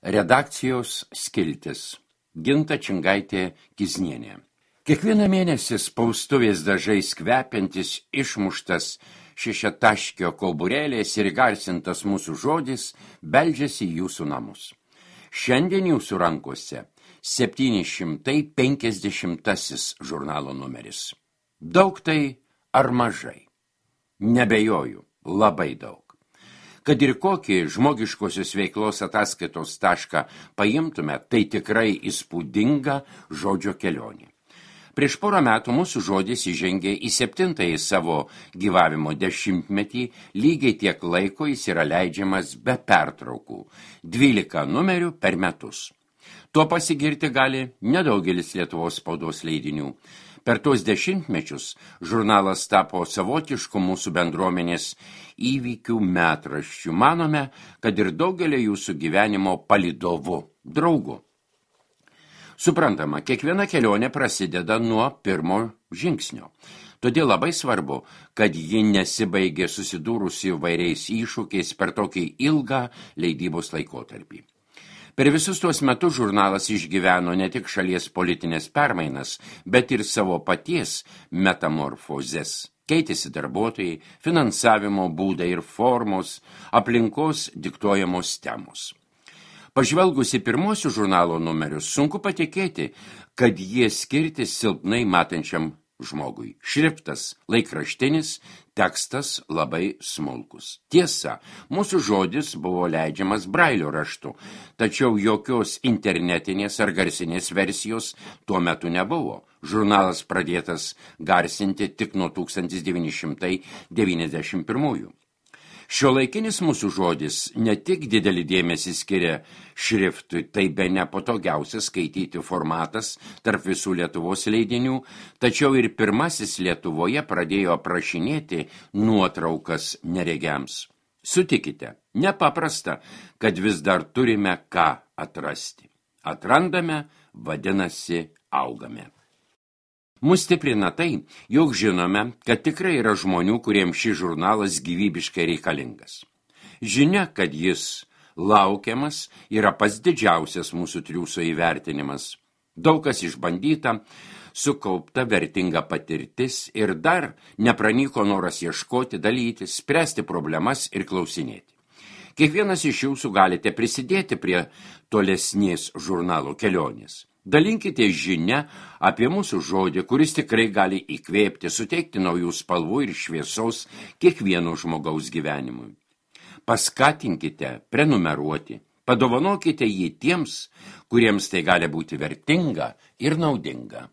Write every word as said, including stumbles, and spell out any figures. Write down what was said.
Redakcijos skiltis. Ginta Čingaitė Kiznienė. Kiekvieną mėnesį spaustuvės dažais kvepiantis išmuštas šešiataškio kauburėlės ir įgarsintas mūsų žodis beldžiasi į jūsų namus. Šiandien jūsų rankose septyni šimtai penkiasdešimtasis žurnalo numeris. Daug tai ar mažai? Nebejoju, labai daug. Kad ir kokį žmogiškosios veiklos ataskaitos tašką paimtume, tai tikrai įspūdinga žodžio kelionė. Prieš porą metų mūsų žodis įžengė į septintąjį savo gyvavimo dešimtmetį, lygiai tiek laiko jis yra leidžiamas be pertraukų, dvylika numerių per metus. Tuo pasigirti gali nedaugelis Lietuvos spaudos leidinių. Per tuos dešimtmečius žurnalas tapo savotišku mūsų bendruomenės įvykių metraščių. Manome, kad ir daugelio jūsų gyvenimo palydovu, draugu. Suprantama, kiekviena kelionė prasideda nuo pirmo žingsnio. Todėl labai svarbu, kad ji nesibaigė susidūrusi įvairiais iššūkiais per tokį ilgą leidybos laikotarpį. Per visus tuos metus žurnalas išgyveno ne tik šalies politinės permainas, bet ir savo paties metamorfozes. Keitėsi darbuotojai, finansavimo būdai ir formos, aplinkos diktuojamos temos. Pažvelgus į pirmosius žurnalo numerius, sunku patikėti, kad jie skirti silpnai matančiam žmogui. Šriftas laikraštinis, tekstas labai smulkus. Tiesa, mūsų žodis buvo leidžiamas brailio raštu, tačiau jokios internetinės ar garsinės versijos tuo metu nebuvo. Žurnalas pradėtas garsinti tik nuo tūkstantis devyni šimtai devyniasdešimt pirmųjų. Šiuolaikinis mūsų žodis ne tik didelį dėmesį skiria šriftui, tai be nepatogiausias skaityti formatas tarp visų Lietuvos leidinių, tačiau ir pirmasis Lietuvoje pradėjo aprašinėti nuotraukas neregiams. Sutikite, nepaprasta, kad vis dar turime ką atrasti. Atrandame, vadinasi, augame. Mus stiprina tai, jog žinome, kad tikrai yra žmonių, kuriems šis žurnalas gyvybiškai reikalingas. Žinia, kad jis laukiamas, yra pats didžiausias mūsų triūso įvertinimas. Daug kas išbandyta, sukaupta vertinga patirtis ir dar nepranyko noras ieškoti, dalyti, spręsti problemas ir klausinėti. Kiekvienas iš jūsų galite prisidėti prie tolesnės žurnalo kelionės. Dalinkite žinią apie mūsų žodį, kuris tikrai gali įkvėpti, suteikti naujų spalvų ir šviesos kiekvieno žmogaus gyvenimui. Paskatinkite prenumeruoti, padovanokite jį tiems, kuriems tai gali būti vertinga ir naudinga.